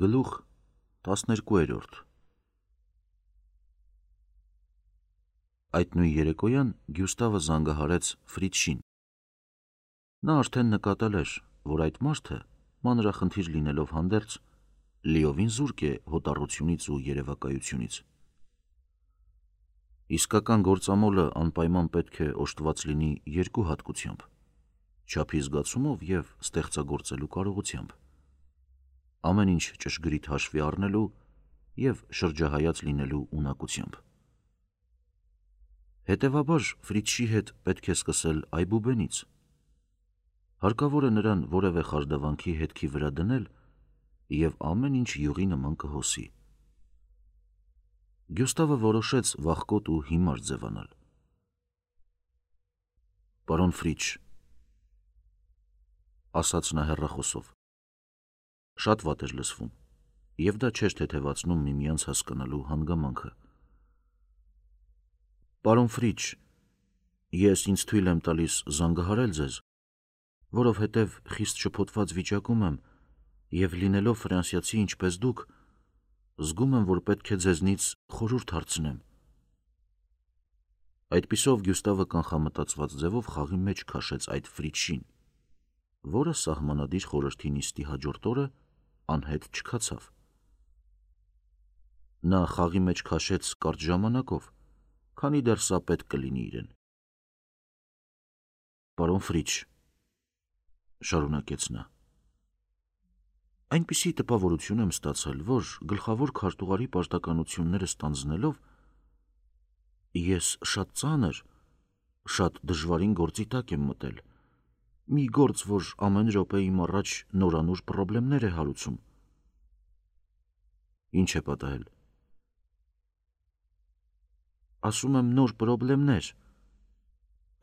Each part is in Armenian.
Գլուխ 12 Այդ նույն երեկոյան Գյուստավը զանգահարեց Ֆրիցշին։ Նա արդեն նկատել էր, որ այդ մարդը, մանրախնդիր լինելով հանդերձ, լիովին զուրկ է հոտառությունից ու երևակայությունից։ Իսկական գործամոլը անպայման պետք է օժտված լինի երկու հատկությամբ՝ չափի զգացումով և ստեղծագործելու կարողությամբ, ամեն ինչ ճշգրիտ հաշվի առնելու և շրջահայաց լինելու ունակությամբ։ Հետևաբար Ֆրիցշի հետ պետք է սկսել այբուբենից։ Հարկավոր է նրան որևէ խարդավանքի հետքի վրա դնել և ամեն ինչ յուղի նման կհոսի։ Գյուստավը որոշեց վախկոտ ու հիմար ձևանալ։ «Պարոն Ֆրիցշ», ասաց նա հեռախոսով։ Շատ վատ էր լսվում, և դա չէր թեթևացնում միմյանց հասկանալու հանգամանքը։ «Պարոն Ֆրիցշ, ես ինձ թույլ եմ տալիս զանգահարել ձեզ, որովհետև խիստ շփոթված վիճակում եմ և լինելով ֆրանսիացի ինչպես դուք, զգում եմ, որ պետք է ձեզնից խորհուրդ հարցնեմ»։ Այդպիսով Գյուստավը կանխամտածված ձևով խաղի մեջ քաշեց այդ Ֆրիցշին, որը սահմանադիր խորհրդի նիստի հաջորդ օրը անհետ չքացավ։ Նա խաղի մեջ քաշեց կարճ ժամանակով, քանի դեռ սա պետք կլինի իրեն։ «Պարոն Ֆրիցշ», շարունակեց նա, այնպիսի տպավորություն եմ ստացել, որ գլխավոր քարտուղարի պարտականությունները ստանձնելով ես շատ ծանր, շատ դժվարին գործի տակ եմ մտել, մի գործ, որ ամեն րոպե իմ առաջ նորանոր պրոբլեմներ է հարուցում։ «Ինչ է պատահել»։ «Ասում եմ, նոր պրոբլեմներ»,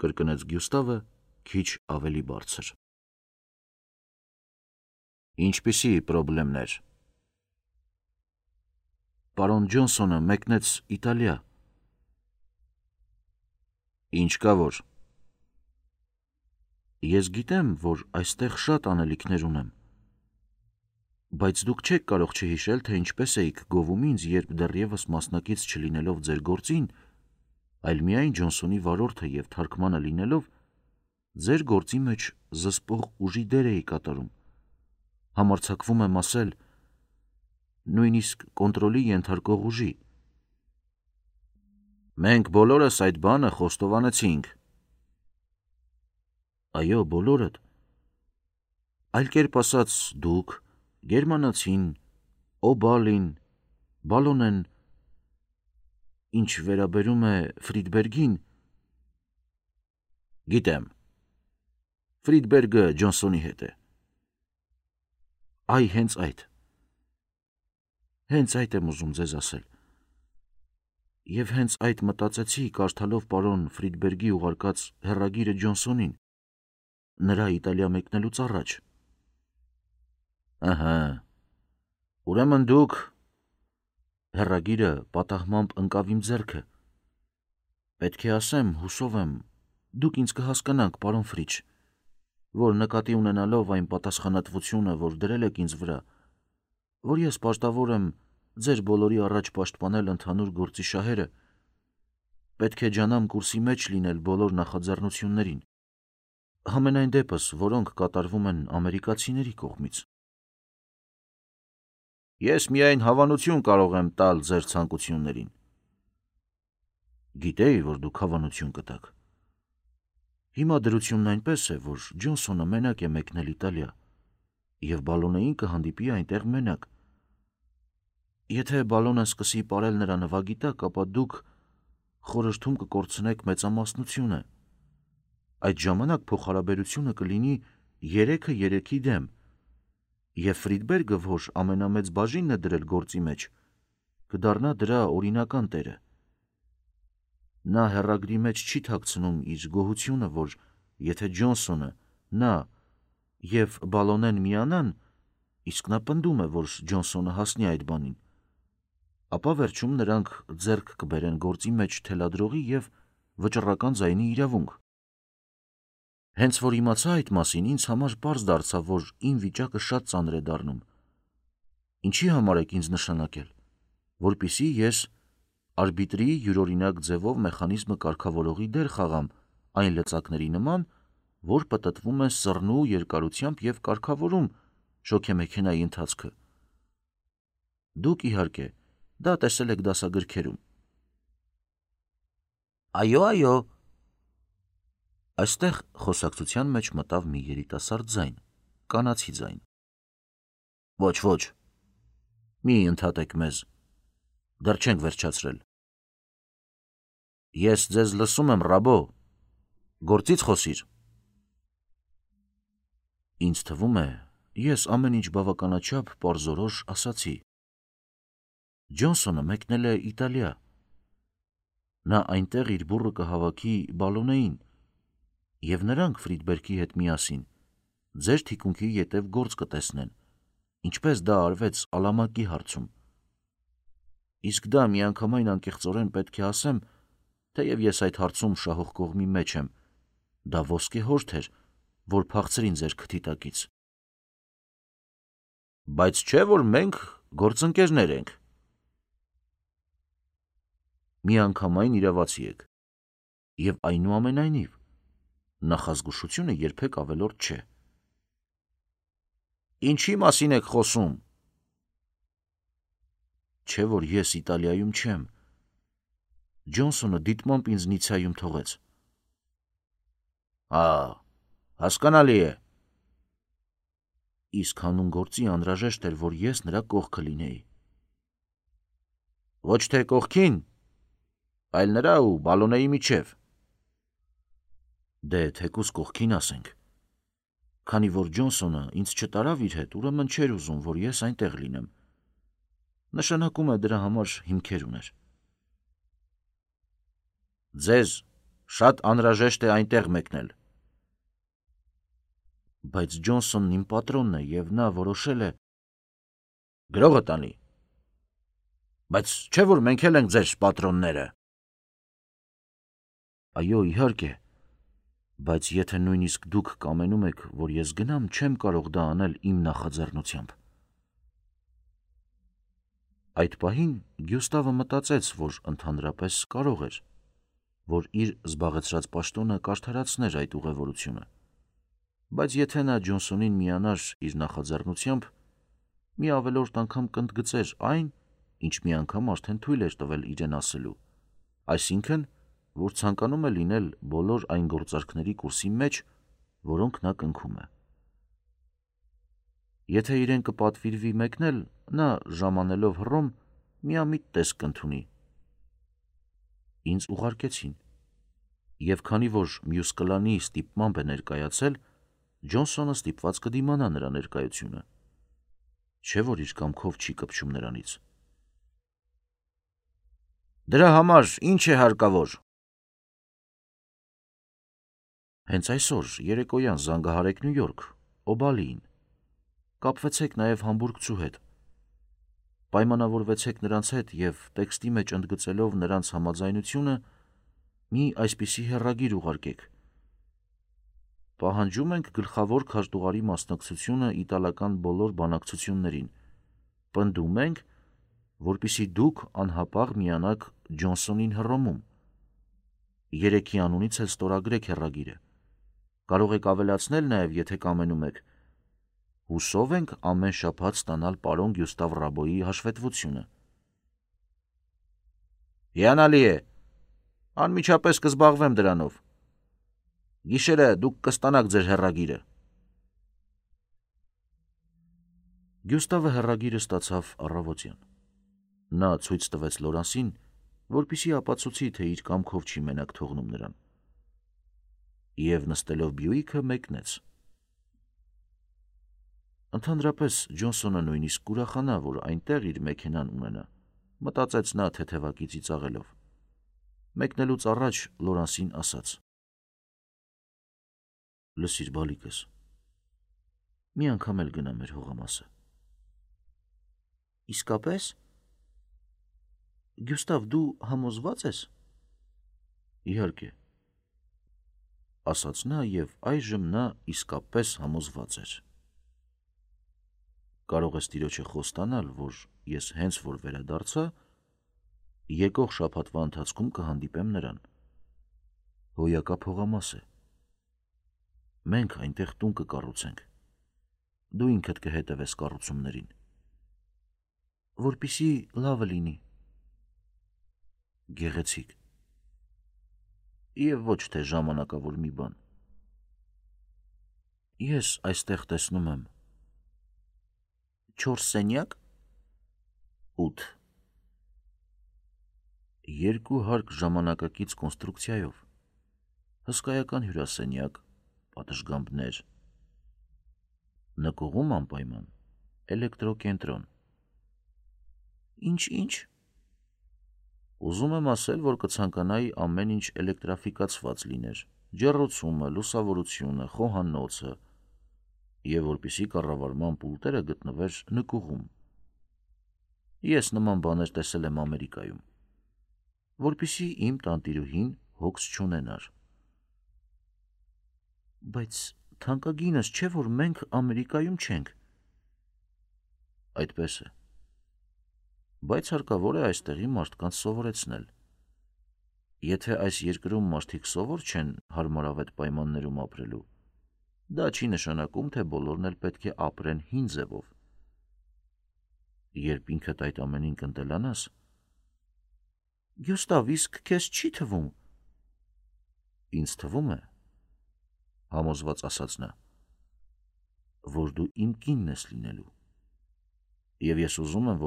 կրկնեց Գյուստավը քիչ ավելի բարձր։ «Ինչպիսի պրոբլեմներ»։ «Պարոն Ջոնսոնը մեկնեց Իտալիա»։ «Ինչ կա որ»։ «Ես գիտեմ, որ այստեղ շատ անելիքներ ունեմ, բայց դուք չեք կարող չհիշել, թե ինչպես էիք գովում ինձ, երբ դեռևս մասնակից չլինելով ձեր գործին, այլ միայն Ջոնսոնի վարորդը և թարգմանը լինելով, ձեր գործի մեջ զսպող ուժի դեր էի կատարում, համարձակվում եմ ասել, նույնիսկ կոնտրոլի ենթարկող ուժի»։ «Մենք բոլորս այդ բանը խոստովանեցինք»։ «Այո, բոլորդ։ Այլ կերպ ասած, դուք, գերմանացին, Օ'Բալին, Բալոնեն, ինչ վերաբերում է Ֆրիդբերգին»։ «Գիտեմ, Ֆրիդբերգը Ջոնսոնի հետ է»։ «Այ, հենց այդ եմ ուզում ձեզ ասել։ Եվ հենց այդ մտածեցի, կարդալով պարոն Ֆրիդբերգի ուղարկած հեռագիրը Ջոնսոնին, նրա Իտալիա մեկնելուց առաջ»։ «Ըհը, ուրեմն դուք»։ Հեռագիրը պատահմամբ ընկավ իմ ձեռքը։ Պետք է ասեմ, հուսով եմ, դուք ինձ կհասկանաք, պարոն Ֆրիցշ, որ նկատի ունենալով այն պատասխանատվությունը, որ դրել եք ինձ վրա, որ ես պարտավոր եմ ձեր բոլորի առաջ պաշտպանել ընդհանուր գործի շահերը, պետք է ջանամ կուրսի մեջ լինել բոլոր նախաձեռնություններին, համենայն դեպս, որոնք կատարվում են ամերիկացիների կողմից։ «Ես միայն հավանություն կարող եմ տալ ձեր ցանկություններին»։ «Գիտեի, որ դուք հավանություն կտաք։ Հիմա դրությունն այնպես է, որ Ջոնսոնը մենակ է մեկնել Իտալիա, և Բալոնեին կհանդիպի այնտեղ մենակ։ Եթե Բալոնեն սկսի պարել նրա նվագի տակ, ապա դուք խորհրդում կկորցնեք մեծամասնությունը։ Այդ ժամանակ փոխհարաբերությունը կլինի 3-3 դեմ, և Ֆրիդբերգը, որ ամենամեծ բաժինն է դրել գործի մեջ, կդառնա դրա օրինական տերը։ Նա հեռագրի մեջ չի թաքցնում իր գոհությունը, որ եթե Ջոնսոնը, նա և Բալոնեն միանան, իսկ նա պնդում է, որ Ջոնսոնը հասնի այդ բանին, ապա վերջում նրանք ձեռք կբերեն գործի մեջ թելադրողի և վճռական ձայնի իրավունք։ Հենց որ իմացա այդ մասին, ինձ համար պարզ դարձավ, որ իմ վիճակը շատ ծանր է դառնում, Ինչի համար եք ինձ նշանակել, որպիսի ես արբիտրի յուրօրինակ ձևով մեխանիզմը կարգավորողի դեր խաղամ այն լծակների նման, որ պտտվում են սռնու երկարությամբ և կարգավորում շոգեմեքենայի ընթացքը։ Դուք, իհարկե, դա տեսել եք դասագրքերում։ Այո։ Այստեղ խոսակցության մեջ մտավ մի երիտասարդ ձայն, կանացի ձայն։ Ոչ, մի ընդհատեք մեզ, դեռ չենք վերջացրել։ Ես ձեզ լսում եմ, Ռաբո, գործից խոսիր։ Ինձ թվում է, ես ամեն ինչ բավականաչափ պարզորոշ ասացի։ Ջոնսոնը մեկնել է Իտալիա։ Նա այնտեղ իր բուռը կհավաքի Բալոնեին, և նրանք Ֆրիդբերգի հետ միասին ձեր թիկունքի ետև գործ կտեսնեն, ինչպես դա արվեց Ալամակի հարցում։ Իսկ դա միանգամայն անկեղծորեն պետք է ասեմ, թեև ես այդ հարցում շահող կողմի մեջ եմ, դա ոսկեհորդ էր, որ փախցրին ձեր քթի տակից։ Բայց չէ՞ որ մենք գործընկերներ ենք։ Միանգամայն իրավացի եք, և այնուամենայնիվ նախազգուշությունը երբեք ավելորդ չէ։ Ինչի մասին եք խոսում։ Չէ՞ որ ես Իտալիայում չեմ։ Ջոնսոնը դիտմամբ ինձ Նիցայում թողեց։ Հասկանալի է։ Իսկ հանուն գործի անհրաժեշտ էր, որ ես նրա կողքը լինեի։ Ոչ թե կողքին, այլ նրա ու Բալոնեի միջև։ Դե թեկուզ կողքին ասենք։ Քանի որ Ջոնսոնը ինձ չտարավ իր հետ, ուրեմն չէր ուզում, որ ես այնտեղ լինեմ։ Նշանակում է դրա համար հիմքեր ուներ։ Ձեզ շատ անհրաժեշտ է այնտեղ մեկնել։ Բայց Ջոնսոնն իմ պատրոնն է, և նա որոշել է… Գրողը տանի։ Բայց չէ՞ որ մենք էլ ենք ձեր պատրոնները։ Այո, իհարկե, բայց եթե նույնիսկ դուք կամենում եք, որ ես գնամ, չեմ կարող դա անել իմ նախաձեռնությամբ։ Այդ պահին Գյուստավը մտածեց, որ ընդհանրապես կարող էր, որ իր զբաղեցրած պաշտոնը կարդարացներ այդ ուղևորությունը, բայց եթե նա Ջոնսոնին միանար իր նախաձեռնությամբ, մի ավելորդ անգամ կընդգծեր այն, ինչ մի անգամ արդեն թույլ էր տվել իրեն ասելու, այսինքն, որ ցանկանում է լինել բոլոր այն գործարքների կուրսի մեջ, որոնք նա կնքում է։ Եթե իրեն կպատվիրվի մեկնել, նա ժամանելով Հռոմ միամիտ տեսք կընդունի։ Ինձ ուղարկեցին, և քանի որ մյուս կլանի ստիպմամբ է ներկայացել, Ջոնսոնը ստիպված կդիմանա նրա ներկայությունը, չէ՞ որ իր կամքով չի կպչում նրանից։ Դրա համար ինչ է հարկավոր։ Հենց այսօր երեկոյան զանգահարեք Նյու Յորք, Օբալիին։ Կապվեցեք նաև համբուրգցու հետ։ Պայմանավորվեցեք նրանց հետ և տեքստի մեջ ընդգծելով նրանց համաձայնությունը մի այսպիսի հեռագիր ուղարկեք. Պահանջում ենք գլխավոր քարտուղարի մասնակցությունը իտալական բոլոր բանակցություններին։ Պնդում ենք, որպեսզի դուք անհապաղ միանաք Ջոնսոնին Հռոմում։ Երեքի անունից էլ ստորագրեք հեռագիրը։ Կարող եք ավելացնել նաև, եթե կամենում եք. հուսով ենք ամեն շաբաթ ստանալ պարոն Գյուստավ Ռաբոյի հաշվետվությունը։ Հիանալի է։ Անմիջապես կզբաղվեմ դրանով։ Գիշերը դուք կստանաք ձեր հեռագիրը։ Գյուստավը հեռագիրը ստացավ առավոտյան։ Նա ցույց տվեց Լորանսին, որպեսզի ապացուցի, թե իր կամքով չի մենակ թողնում նրան։ Եվ նստելով Բյուիկը մեկնեց։ Ընդհանրապես Ջոնսոնը նույնիսկ կուրախանա, որ այնտեղ իր մեքենան ունենա, մտածեց նա թեթևակի ծիծաղելով։ Մեկնելուց առաջ Լորանսին ասաց. Լսիր, բալիկս, մի անգամ էլ գնա մեր հողամասը։ Իսկապես։ Գյուստավ, դու համոզված ես։ Իհարկե, ասաց նա, և այժմ նա իսկապես համոզված էր։ կարող ես տիրոջը խոստանալ, որ ես հենց որ վերադարձա, եկող շաբաթվա ընթացքում կհանդիպեմ նրան։ Հոյակա փողամաս է։ Մենք այնտեղ տուն կկառուցենք։ Դու ինքդ կհետևես կառուցումներին։ Որպիսի լավը լինի։ Գեղեցիկ։ Եվ ոչ թե ժամանակավոր մի բան։ Ես այստեղ տեսնում եմ 4 սենյակ, 8 2 հարկ ժամանակակից կոնստրուկցիայով, հսկայական հյուրասենյակ, պատշգամբներ, նկուղում անպայման, էլեկտրոկենտրոն։ Ինչ։ Ուզում եմ ասել, որ կցանկանայի ամեն ինչ էլեկտրաֆիկացված լիներ, ջեռոցումը, լուսավորությունը, խոհանոցը, և որպիսի կառավարման պուլտերը գտնվեր նկուղում։ Ես նման բաներ տեսել եմ Ամերիկայում, որպիսի իմ տանտիրուհին հոգս չունենար։ Բայց թանկագինս չէ, որ մենք Ամերիկայում չենք։ Այդպես է։ Բայց հարկավոր է այստեղի մարդկանց սովորեցնել։ Եթե այս երկրում մարդիկ սովոր չեն հարմարավետ պայմաններում ապրելու, դա չի նշանակում, թե բոլորն էլ պետք է ապրեն հին ձևով։ Երբ ինքդ այդ ամենին կընտելանաս, Գյուստավ, իսկ քեզ չի թվում։ Ինձ թվում է, համոզված ասաց նա, որ դու իմ կինն ես լինելու, և ես ուզում եմ,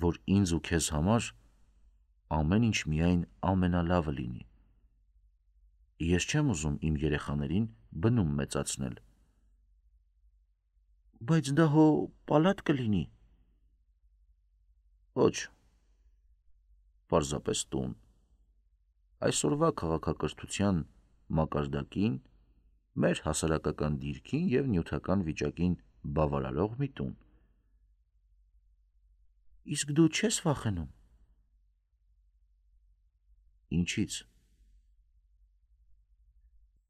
որ ինձ ու քեզ համար ամեն ինչ միայն ամենալավը լինի։ Ես չեմ ուզում իմ երեխաներին բնում մեծացնել։ Բայց դա հո պալատ կլինի։ Ոչ, պարզապես տուն։ Այսօրվա քաղաքակրթության մակարդակին, մեր հասարակական դիրքին և նյութական վիճակին բավարարող մի տուն։ Իսկ դու չես վախենում։ Ինչից։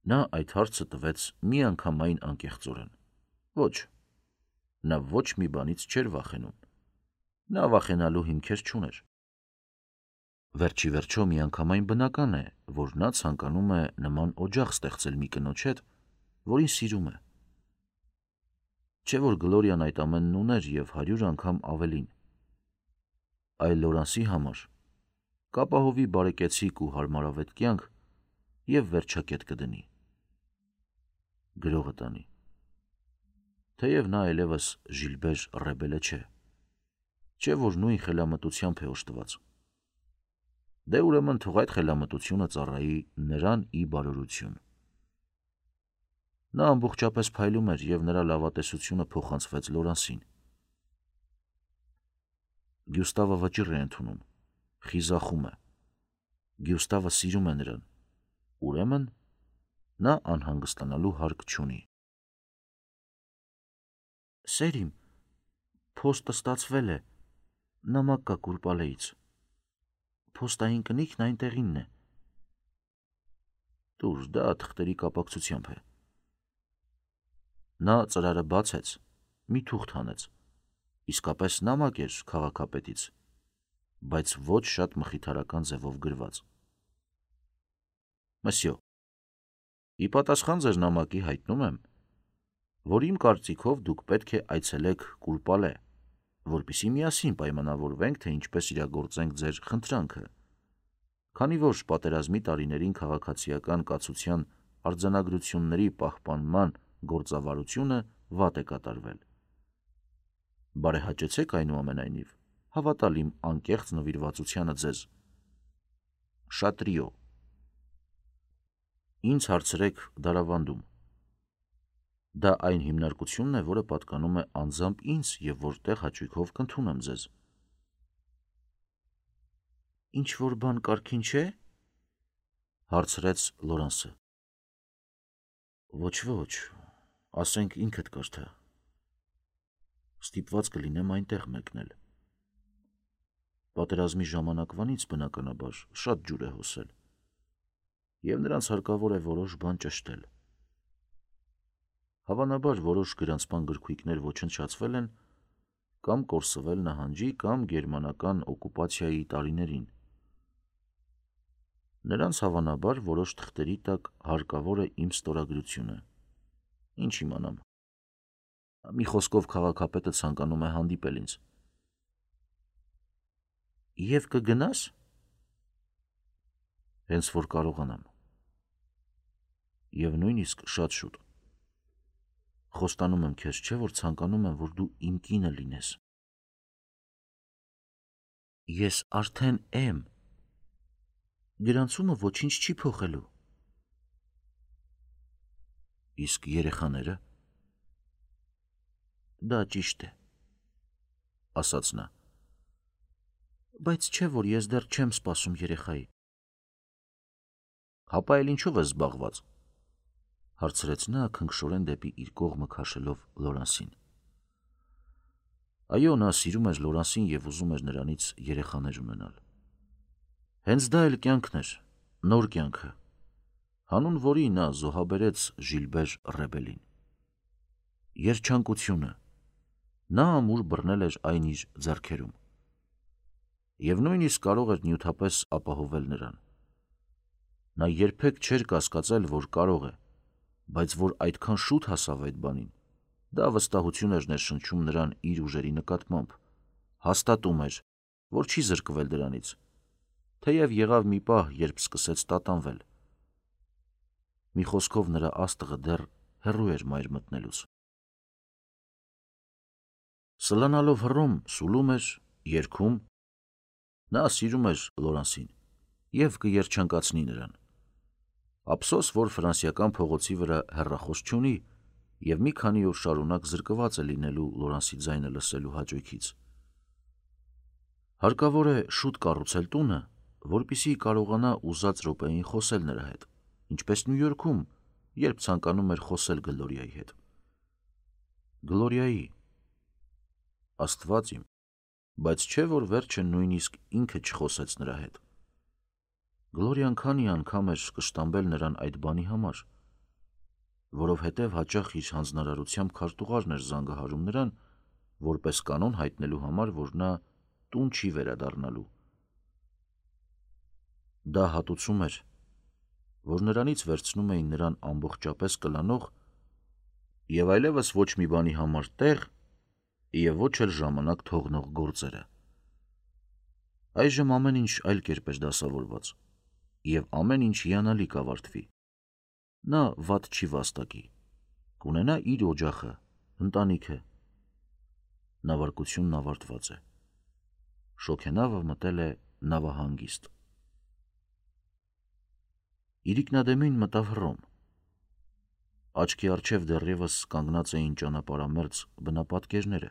Նա այդ հարցը տվեց միանգամայն անկեղծորեն։ Ոչ, նա ոչ մի բանից չէր վախենում։ Նա վախենալու հիմքեր չուներ։ Վերջի վերջո միանգամայն բնական է, որ նա ցանկանում է նման օջախ ստեղծել մի կնոջ հետ, որին սիրում է։ Չէ՞ որ Գլորիան այդ ամենն ուներ և 100 անգամ ավելին։ Այլ Լորանսի համար կապահովի բարեկեցիկ ու հարմարավետ կյանք և վերջակետ կդնի։ Գրողը տանի։ Թեև նա այլևս Ժիլբեր Ռեբելը չէ, չէ՞ որ նույն խելամտությամբ է օժտված։ Դե ուրեմն թող այդ խելամտությունը ծառայի նրան ի բարօրություն։ Նա ամբողջապես փայլում էր, և նրա լավատեսությունը փոխանցվեց Լորանսին։ Գյուստավը վճիռ է ընդունում, խիզախում է։ Գյուստավը սիրում է նրան, ուրեմն նա անհանգստանալու հարկ չունի։ Սեր իմ, փոստը ստացվել է, նամակ կա Կուրպալեից։ Փոստային կնիքն այնտեղինն է։ Տուր, դա թղթերի կապակցությամբ է։ Նա ծրարը բացեց, մի թուղթ հանեց, իսկապես նամակ էր քաղաքապետից, բայց ոչ շատ մխիթարական ձևով գրված։ Մսյո, ի պատասխան ձեր նամակի հայտնում եմ, որ իմ կարծիքով դուք պետք է այցելեք Կուրպալե, որպեսզի միասին պայմանավորվենք, թե ինչպես իրագործենք ձեր խնդրանքը, քանի որ պատերազմի տարիներին քաղաքացիական կացության արձանագրությունների պահպանման գործավարությունը վատ է կատարվել։ Բարեհաճեցեք այնուամենայնիվ, հավատալ իմ անկեղծ նվիրվածությանը ձեզ։ Շատրիո։ Ինձ հարցրեք դարավանդում։ Դա այն հիմնարկությունն է, որը պատկանում է անձամբ ինձ և որտեղ հաճույքով կընդունեմ ձեզ։ Ինչ-որ բան կարգին չէ։ Հարցրեց Լորանսը։ Ոչ, ասենք ինքդ կարդա։ Ստիպված կլինեմ այնտեղ մեկնել։ Պատերազմի ժամանակվանից բնականաբար շատ ջուր է հոսել, և նրանց հարկավոր է որոշ բան ճշտել։ Հավանաբար որոշ գրանցման գրքույկներ ոչնչացվել են կամ կորսվել նահանջի կամ գերմանական օկուպացիայի տարիներին։ Նրանց հավանաբար որոշ թղթերի տակ հարկավոր է իմ ստորագրությունը։ Ինչ իմանամ։ Մի խոսքով քաղաքապետը ցանկանում է հանդիպել ինձ։ Եվ կգնաս։ Հենց որ կարողանամ։ Եվ նույնիսկ շատ շուտ։ Խոստանում եմ քեզ, չէ՞ որ ցանկանում եմ, որ դու իմ կինը լինես։ Ես արդեն եմ։ Գրանցումը ոչինչ չի փոխելու։ Իսկ երեխաները։ Դա ճիշտ է, ասաց նա։ Բայց չէ՞ որ ես դեռ չեմ սպասում երեխայի։ Հապա էլ ինչով ես զբաղված, հարցրեց նա քնքշորեն դեպի իր կողմը քաշելով Լորանսին։ Այո, նա սիրում էր Լորանսին և ուզում էր նրանից երեխաներ ունենալ։ Հենց դա էլ կյանքն էր, նոր կյանքը, հանուն որի նա զոհաբերեց Ժիլբեր Ռեբելին։ Երջանկությունը, նա ամուր բռնել էր այն իր ձեռքերում։ Եվ նույնիսկ կարող էր նյութապես ապահովել նրան։ Նա երբեք չէր կասկածել, որ կարող է, բայց որ այդքան շուտ հասավ այդ բանին, դա վստահություն էր ներշնչում նրան իր ուժերի նկատմամբ, հաստատում էր, որ չի զրկվել դրանից, թեև եղավ մի պահ, երբ սկսեց տատանվել։ Մի խոսքով նրա աստղը դեռ հեռու էր մայր մտնելուց։ Սլանալով հռոմ սուլում էր, երգում, նա սիրում էր Լորանսին և կերջանկացնի նրան։ Ափսոս, որ ֆրանսիական փողոցի վրա հեռախոս չունի և մի քանի օր շարունակ զրկված է լինելու Լորանսի ձայնը լսելու հաճույքից։ Հարկավոր է շուտ կառուցել տունը, որպեսզի կարողանա ուզած րոպեին խոսել նրա հետ, ինչպես Նյու Յորքում, երբ ցանկանում էր խոսել Գլորիայի հետ։ Գլորիայի։ Աստված իմ, բայց չէ՞ որ վերջը նույնիսկ ինքը չխոսեց նրա հետ։ Գլորիան քանի անգամ էր կշտամբել նրան այդ բանի համար, որովհետև հաճախ իր հանձնարարությամբ քարտուղարն էր զանգահարում նրան, որպես կանոն հայտնելու համար, որ նա տուն չի վերադառնալու։ Դա հատուցում էր, որ նրանից վերցնում էին նրան ամբողջապես կլանող և այլևս ոչ մի բանի համար տեղ և ոչ էլ ժամանակ թողնող գործերը։ Այժմ ամեն ինչ այլ կերպ էր դասավորված, և ամեն ինչ հիանալի կավարտվի։ Նա վատ չի վաստակի, կունենա իր օջախը, ընտանիքը։ Նավարկությունն ավարտված է։ Շոգենավը մտել է նավահանգիստ։ Իրիկնադեմին մտավ հռոմ։ Աչքի առջև դեռևս կանգնած էին ճանապարհամերձ բնապատկերները։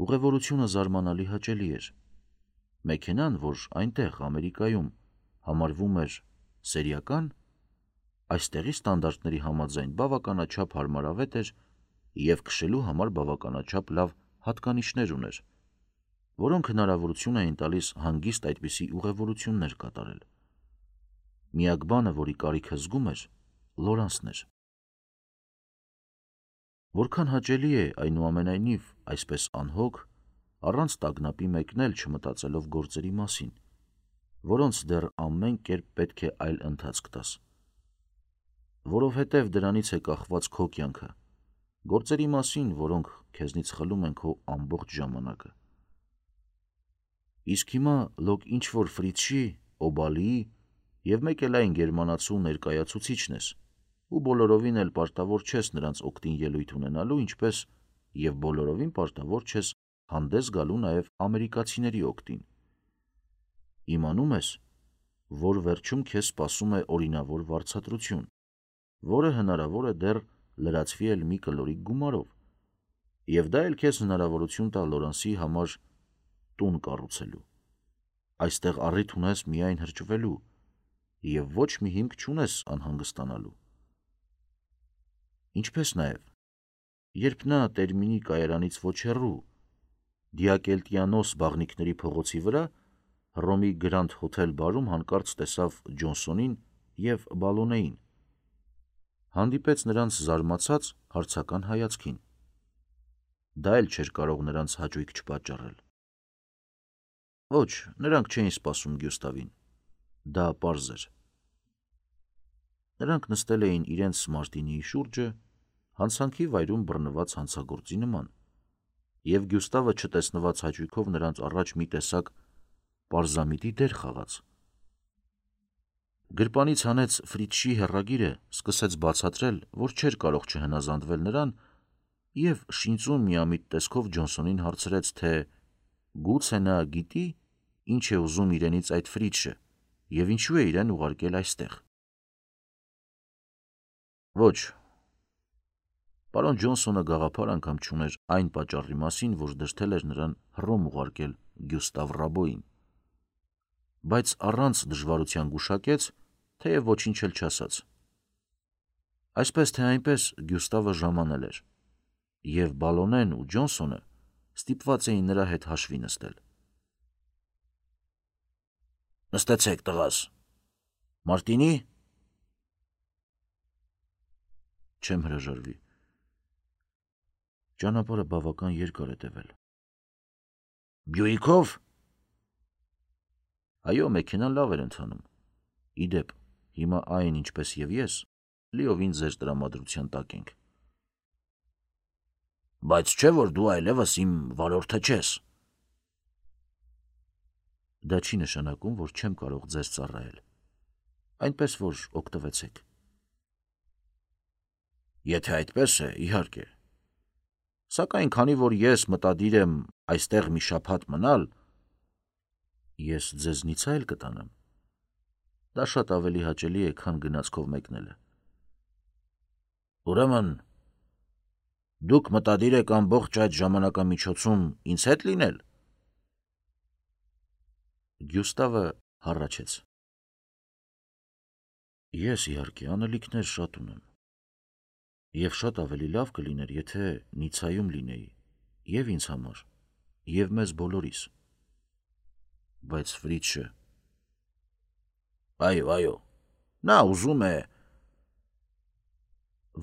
Ուղևորությունը զարմանալի հաճելի էր։ Մեքենան, որ այնտեղ, Ամերիկայում, համարվում էր սերիական, այստեղի ստանդարտների համաձայն բավականաչափ հարմարավետ էր և քշելու համար բավականաչափ լավ հատկանիշներ ուներ, որոնք հնարավորություն էին տալիս հանգիստ այդպիսի ուղևորություններ կատարել։ Միակ բանը, որի կարիքը զգում էր, Լորանսն էր։ Որքան հաճելի է, այնուամենայնիվ, այսպես անհոգ, առանց տագնապի մեկնել չմտածելով գործերի մասին, որոնց դեռ ամեն կերպ պետք է այլ ընթացք տաս։ Որովհետև դրանից է կախված քո կյանքը, գործերի մասին, որոնք քեզնից խլում են քո ամբողջ ժամանակը։ Իսկ հիմա լոկ ինչ-որ Ֆրիցի, Օբալիի և մեկ էլ այն գերմանացու ներկայացուցիչն ես, ու բոլորովին էլ պարտավոր չես նրանց օգտին ելույթ ունենալու, ինչպես և բոլորովին պարտավոր չես հանդես գալու նաև ամերիկացիների օգտին։ Իմանում ես, որ վերջում քեզ սպասում է օրինավոր վարձատրություն, որը հնարավոր է դեռ լրացվի էլ մի կլորիկ գումարով, և դա էլ քեզ հնարավորություն տա Լորանսի համար տուն կառուցելու։ Այստեղ առիթ ունես միայն հրճվելու և ոչ մի հիմք չունես անհանգստանալու։ Ինչպես նաև, երբ նա Տերմինի կայարանից ոչ հեռու, Դիակելտիանոս բաղնիքների փողոցի վրա, Հռոմի Գրանդ Հոթել բարում հանկարծ տեսավ Ջոնսոնին և Բալոնեին։ Հանդիպեց նրանց զարմացած հարցական հայացքին։ Դա էլ չէր կարող նրանց հաճույք չպատճառել։ Ոչ, նրանք չէին սպասում Գյուստավին։ Դա պարզ էր։ Նրանք նստել էին իրենց Մարտինիի շուրջը, հանցանքի վայրում բռնված հանցագործի նման, և Գյուստավը չտեսնված հաճույքով նրանց առաջ մի տեսակ պարզամիտի դեր խաղաց։ Գրպանից հանեց Ֆրիցշի հեռագիրը, սկսեց բացատրել, որ չէր կարող չհնազանդվել նրան, և շինծուն միամիտ տեսքով Ջոնսոնին հարցրեց, թե գուցե նա գիտի, ինչ է ուզում իրենից այդ Ֆրիցշը և ինչու է իրեն ուղարկել այստեղ։ Ոչ, պարոն Ջոնսոնը գաղափար անգամ չուներ այն պատճառի մասին, որ դրդել էր նրան Հռոմ ուղարկել Գյուստավ Ռաբոյին, բայց առանց դժվարության գուշակեց, թեև ոչինչ էլ չասաց։ Այսպես թե այնպես Գյուստավը ժամանել էր, և Բալոնեն ու Ջոնսոնը ստիպված էին նրա հետ հաշվի նստել։ Նստեցեք, տղաս։ Մարտինի։ Չեմ հրաժարվի։ Ճանապարհը բավական երկար է տևել։ Բյուիկով։ Այո, մեքենան լավ էր ընթանում։ Իդեպ, հիմա այն, ինչպես և ես, լիովին ձեր տրամադրության տակ ենք։ Բայց չէ, որ դու այլևս իմ վարորդը չես։ Դա չի նշանակում, որ չեմ կարող ձեզ ծառայել։ Այնպես որ օգտվեցեք։ Եթե այդպես է, իհարկե։ Սակայն քանի որ ես մտադիր եմ այստեղ մի շաբաթ մնալ, ես ձեզնից այլ կտանեմ։ Դա շատ ավելի հաճելի է, քան գնացքով մեկնելը։ Ուրեմն, դուք մտադիր եք ամբողջ այդ ժամանակամիջոցում ինձ հետ լինել։ Գյուստավը հառաչեց։ Ես իհարկե անելիքներ շատ ունեմ, և շատ ավելի լավ կլիներ, եթե Նիցայում լինեի, և ինձ համար, և մեզ բոլորիս։ Բայց Ֆրիցշը… Այո, նա ուզում է,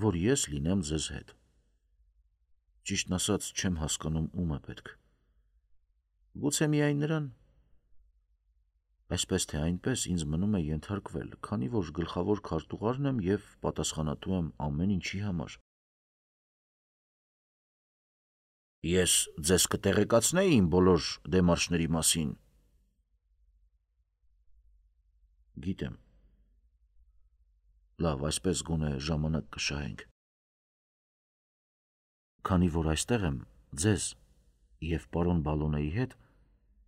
որ ես լինեմ ձեզ հետ։ Ճիշտն ասած, չեմ հասկանում ում է պետք։ Գուցե միայն նրան։ Այսպես թե այնպես ինձ մնում է ենթարկվել, քանի որ գլխավոր քարտուղարն եմ և պատասխանատու եմ ամեն ինչի համար։ Ես ձեզ կտեղեկացնեի իմ բոլոր դեմարշների մասին։ Գիտեմ։ Լավ, այսպես գոնե ժամանակ կշահենք։ Քանի որ այստեղ եմ ձեզ և պարոն Բալոնեի հետ,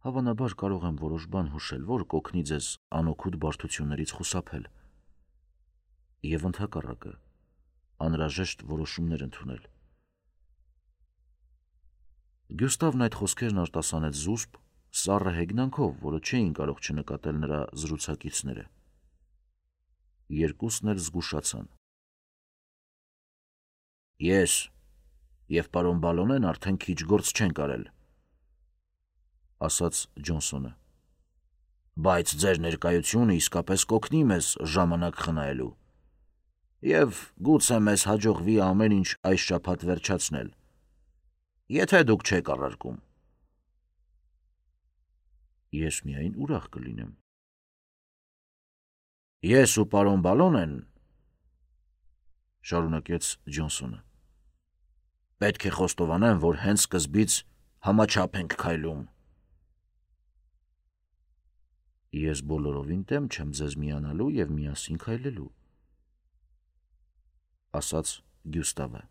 հավանաբար կարող եմ որոշ բան հուշել, որ կօգնի ձեզ անօգուտ բարդություններից խուսափել և ընդհակառակը անհրաժեշտ որոշումներ ընդունել։ Գյուստավն այդ խոսքերն արտասանեց զուսպ, սառը հեգնանքով, որը չէին կարող չնկատել նրա զրուցակիցները։ Երկուսն էլ զգուշացան։ Ես և պարոն Բալոնեն արդեն քիչ գործ չենք արել, ասաց Ջոնսոնը, բայց ձեր ներկայությունը իսկապես կօգնի մեզ ժամանակ խնայելու, և գուցե մեզ հաջողվի ամեն ինչ այս շաբաթ վերջացնել, եթե դուք չեք առարկում։ Ես միայն ուրախ կլինեմ։ Ես ու պարոն Բալոնեն, շարունակեց Ջոնսոնը, պետք է խոստովանեմ, որ հենց սկզբից համաչափ ենք քայլում։ Ես բոլորովին դեմ չեմ ձեզ միանալու և միասին քայլելու, ասաց Գյուստավը։